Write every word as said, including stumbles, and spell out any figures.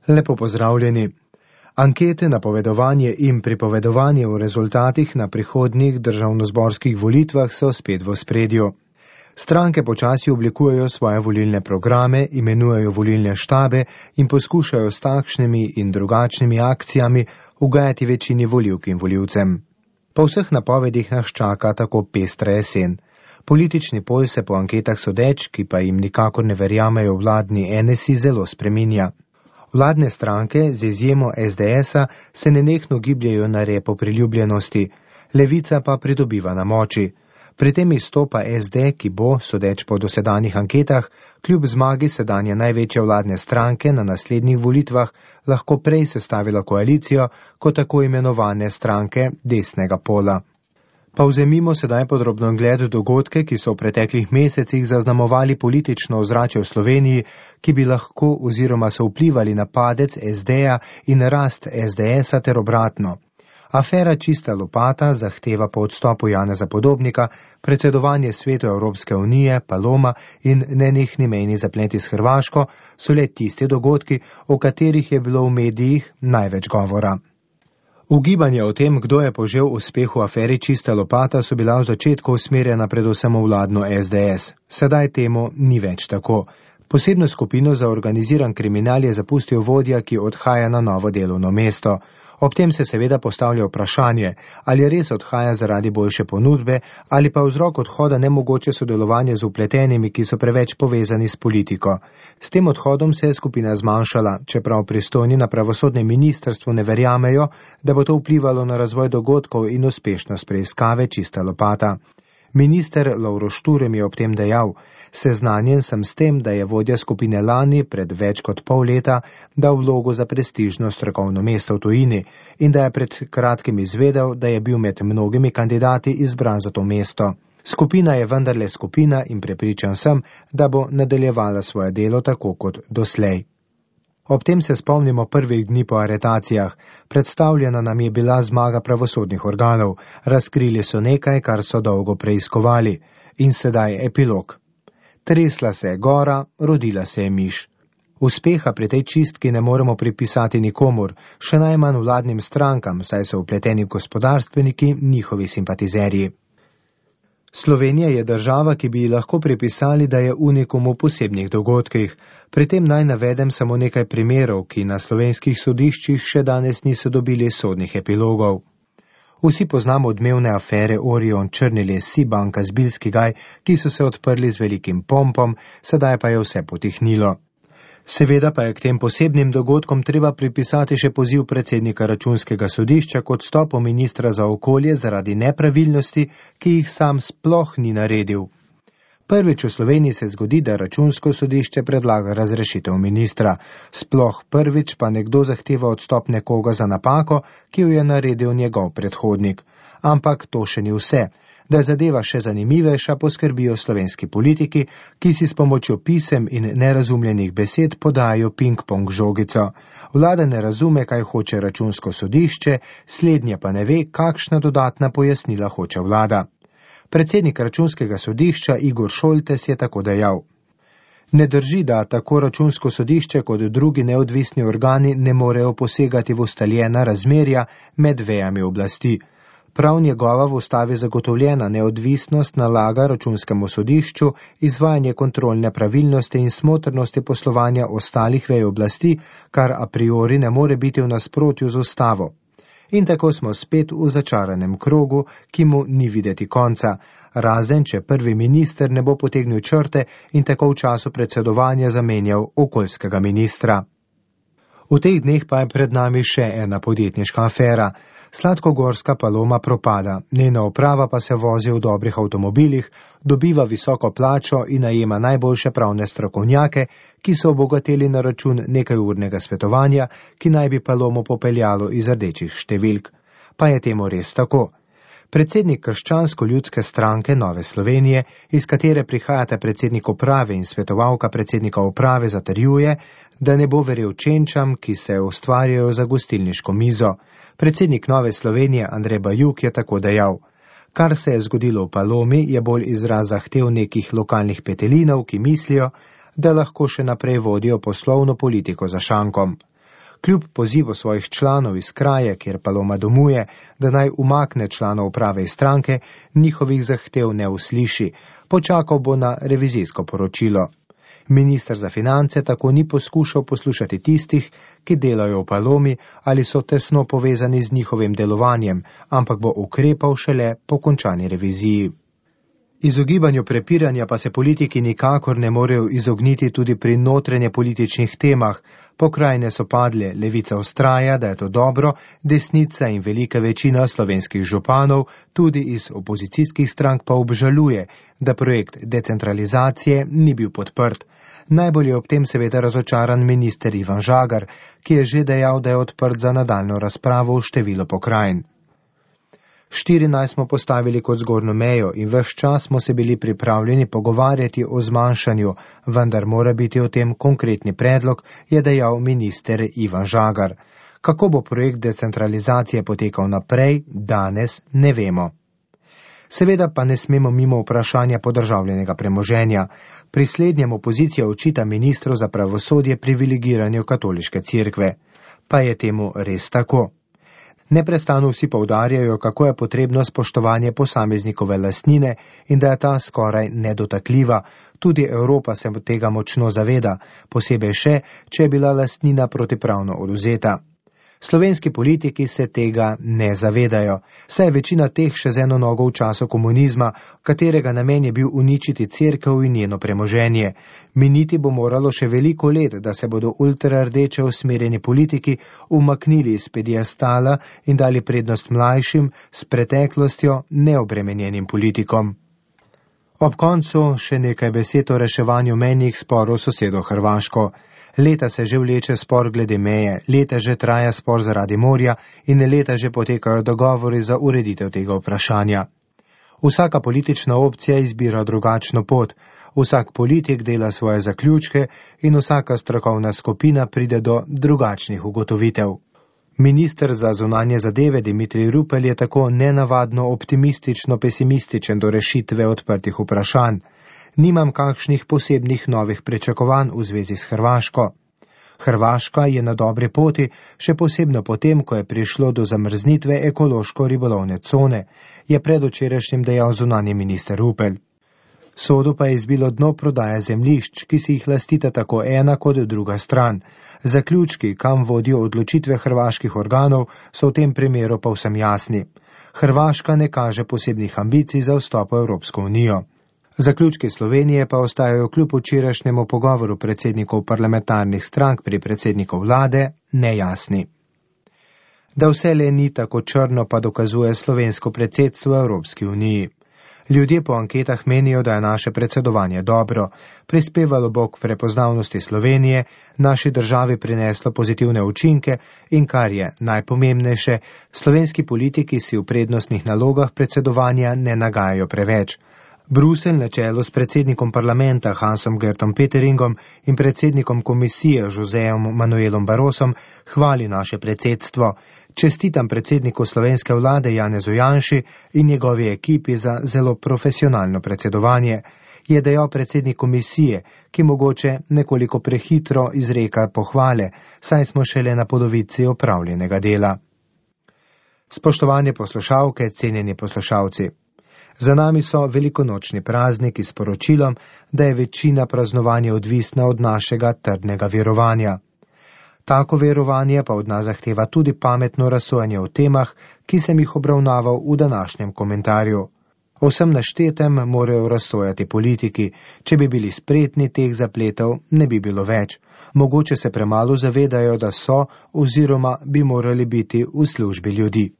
Lepo pozdravljeni. Ankete, napovedovanje in pripovedovanje o rezultatih na prihodnjih državnozborskih volitvah so spet v ospredju. Stranke počasi oblikujejo svoje volilne programe, imenujejo volilne štabe in poskušajo s takšnimi in drugačnimi akcijami ugajati večini volivk in volivcem. Po vseh napovedih nas čaka tako pestra jesen. Politični pol se po anketah sodeč, ki pa jim nikakor ne verjamejo vladni N S I, zelo spreminja. Vladne stranke, z izjemo S D S-a, se nenehno gibljajo na repo priljubljenosti, Levica pa pridobiva na moči. Pri tem izstopa S D, ki bo, sodeč po dosedanjih anketah, kljub zmagi sedanje največje vladne stranke na naslednjih volitvah, lahko prej sestavila koalicijo kot tako imenovane stranke desnega pola. Pa vzemimo sedaj podrobno gled dogodke, ki so v preteklih mesecih zaznamovali politično ozračje v Sloveniji, ki bi lahko oziroma so vplivali na padec S D-ja in rast S D S-a ter obratno. Afera Čista lopata zahteva po odstopu Janeza Podobnika, predsedovanje Svetu Evropske unije, Paloma in nenehni mejni zapleti s Hrvaško so le tisti dogodki, o katerih je bilo v medijih največ govora. Ugibanja o tem, kdo je požel uspeh v aferi Čista lopata, so bila v začetku usmerjena predvsem v vladno S D S. Sedaj temu ni več tako. Posebno skupino za organiziran kriminal je zapustil vodja, ki odhaja na novo delovno mesto. Ob tem se seveda postavlja vprašanje, ali res odhaja zaradi boljše ponudbe ali pa vzrok odhoda nemogoče sodelovanje z vpletenimi, ki so preveč povezani s politiko. S tem odhodom se je skupina zmanjšala, čeprav pristojni na pravosodnem ministrstvu ne verjamejo, da bo to vplivalo na razvoj dogodkov in uspešnost preiskave Čista lopata. Minister Lovro Šturm je ob tem dejal: seznanjen sem s tem, da je vodja skupine lani pred več kot pol leta dal vlogo za prestižno strokovno mesto v tujini in da je pred kratkim izvedel, da je bil med mnogimi kandidati izbran za to mesto. Skupina je vendarle skupina in prepričan sem, da bo nadaljevala svoje delo tako kot doslej. Ob tem se spomnimo prvih dni po aretacijah. Predstavljena nam je bila zmaga pravosodnih organov. Razkrili so nekaj, kar so dolgo preiskovali. In sedaj epilog. Tresla se je gora, rodila se je miš. Uspeha pri tej čistki ne moremo pripisati nikomur, še najmanj vladnim strankam, saj so vpleteni gospodarstveniki njihovi simpatizerji. Slovenija je država, ki bi ji lahko pripisali, da je unikum v posebnih dogodkih. Pri tem naj navedem samo nekaj primerov, ki na slovenskih sodiščih še danes niso dobili sodnih epilogov. Vsi poznamo odmevne afere Orion, Črniles, Sibanka, Zbiljski gaj, ki so se odprli z velikim pompom, sedaj pa je vse potihnilo. Seveda pa je k tem posebnim dogodkom treba pripisati še poziv predsednika Računskega sodišča k odstopu ministra za okolje zaradi nepravilnosti, ki jih sam sploh ni naredil. Prvič v Sloveniji se zgodi, da Računsko sodišče predlaga razrešitev ministra. Sploh prvič pa nekdo zahteva odstop nekoga za napako, ki jo je naredil njegov predhodnik. Ampak to še ni vse. Da je zadeva še zanimivejša, poskrbijo slovenski politiki, ki si s pomočjo pisem in nerazumljenih besed podajo ping-pong žogico. Vlada ne razume, kaj hoče Računsko sodišče, slednje pa ne ve, kakšna dodatna pojasnila hoče vlada. Predsednik Računskega sodišča Igor Šoltes je tako dejal: ne drži, da tako Računsko sodišče kot drugi neodvisni organi ne morejo posegati v ustaljena razmerja med vejami oblasti. Prav njegova v ustavi zagotovljena neodvisnost nalaga Računskemu sodišču izvajanje kontrolne pravilnosti in smotrnosti poslovanja ostalih vej oblasti, kar a priori ne more biti v nasprotju z ustavo. In tako smo spet v začaranem krogu, ki mu ni videti konca, razen če prvi minister ne bo potegnil črte in tako v času predsedovanja zamenjal okoljskega ministra. V teh dneh pa je pred nami še ena podjetniška afera. Sladkogorska Paloma propada, njena uprava pa se vozi v dobrih avtomobilih, dobiva visoko plačo in najema najboljše pravne strokovnjake, ki so obogateli na račun nekajurnega svetovanja, ki naj bi Palomo popeljalo iz rdečih številk. Pa je temu res tako. Predsednik Krščansko-ljudske stranke Nove Slovenije, iz katere prihajata predsednik uprave in svetovalka predsednika uprave, zatrjuje, da ne bo verjel čenčam, ki se ustvarjajo za gostilniško mizo. Predsednik Nove Slovenije Andrej Bajuk je tako dejal: kar se je zgodilo v Palomi, je bolj izraz zahtev nekih lokalnih petelinov, ki mislijo, da lahko še naprej vodijo poslovno politiko za šankom. Kljub pozivu svojih članov iz kraja, kjer Paloma domuje, da naj umakne članov uprave iz stranke, njihovih zahtev ne usliši. Počakal bo na revizijsko poročilo. Minister za finance tako ni poskušal poslušati tistih, ki delajo v Palomi ali so tesno povezani z njihovim delovanjem, ampak bo ukrepal šele po končani reviziji. Izogibanju prepiranja pa se politiki nikakor ne morejo izogniti tudi pri notranje političnih temah. Pokrajine so padle, levica vztraja, da je to dobro, desnica in velika večina slovenskih županov, tudi iz opozicijskih strank, pa obžaluje, da projekt decentralizacije ni bil podprt. Najbolj je ob tem seveda razočaran minister Ivan Žagar, ki je že dejal, da je odprt za nadaljno razpravo v število pokrajin. štirinajst smo postavili kot zgornjo mejo in ves čas smo se bili pripravljeni pogovarjati o zmanjšanju, vendar mora biti o tem konkretni predlog, je dejal minister Ivan Žagar. Kako bo projekt decentralizacije potekal naprej, danes ne vemo. Seveda pa ne smemo mimo vprašanja podržavljenega premoženja. Pri slednjem opozicija očita ministru za pravosodje privilegiranju katoliške cerkve. Pa je temu res tako? Neprestano vsi poudarjajo, kako je potrebno spoštovanje posameznikove lastnine in da je ta skoraj nedotakljiva. Tudi Evropa se tega močno zaveda, posebej še, če je bila lastnina protipravno odvzeta. Slovenski politiki se tega ne zavedajo, saj je večina teh še z eno nogo v času komunizma, katerega namen je bil uničiti cerkev in njeno premoženje. Miniti bo moralo še veliko let, da se bodo ultrardeče usmerjeni politiki umaknili iz pediastala in dali prednost mlajšim, s preteklostjo neobremenjenim politikom. Ob koncu še nekaj besed o reševanju mejnih sporov s sosedo Hrvaško. Leta se že vleče spor glede meje, leta že traja spor zaradi morja in leta že potekajo dogovori za ureditev tega vprašanja. Vsaka politična opcija izbira drugačno pot, vsak politik dela svoje zaključke in vsaka strokovna skupina pride do drugačnih ugotovitev. Minister za zunanje zadeve Dimitrij Rupel je tako nenavadno optimistično-pesimističen do rešitve odprtih vprašanj. Nimam kakšnih posebnih novih pričakovanj v zvezi s Hrvaško. Hrvaška je na dobri poti, še posebno potem, ko je prišlo do zamrznitve ekološko-ribolovne cone, je predvčerajšnjim dejal zunanji minister Rupel. Sodu pa je izbilo dno prodaje zemljišč, ki si jih lastita tako ena kot druga stran. Zaključki, kam vodijo odločitve hrvaških organov, so v tem primeru povsem jasni. Hrvaška ne kaže posebnih ambicij za vstop v Evropsko unijo. Zaključki Slovenije pa ostajajo kljub včerajšnjemu pogovoru predsednikov parlamentarnih strank pri predsedniku vlade nejasni. Da vse le ni tako črno, pa dokazuje slovensko predsedstvo v Evropski uniji. Ljudje po anketah menijo, da je naše predsedovanje dobro, prispevalo bo k prepoznavnosti Slovenije, naši državi prineslo pozitivne učinke in, kar je najpomembnejše, slovenski politiki si v prednostnih nalogah predsedovanja ne nagajajo preveč. Bruselj na čelu s predsednikom parlamenta Hansom Gertom Peteringom in predsednikom komisije Josejem Manuelom Barrosom hvali naše predsedstvo. Čestitam predsedniku slovenske vlade Janezu Janši in njegovi ekipi za zelo profesionalno predsedovanje, je dejal predsednik komisije, ki mogoče nekoliko prehitro izreka pohvale, saj smo šele na polovici opravljenega dela. Spoštovane poslušalke, cenjeni poslušalci. Za nami so velikonočni prazniki s poročilom, da je večina praznovanja odvisna od našega trdnega verovanja. Tako verovanje pa od nas zahteva tudi pametno razsojanje o temah, ki sem jih obravnaval v današnjem komentarju. O vsem naštetem morajo razsojati politiki, če bi bili spretni, teh zapletov ne bi bilo več. Mogoče se premalo zavedajo, da so oziroma bi morali biti v službi ljudi.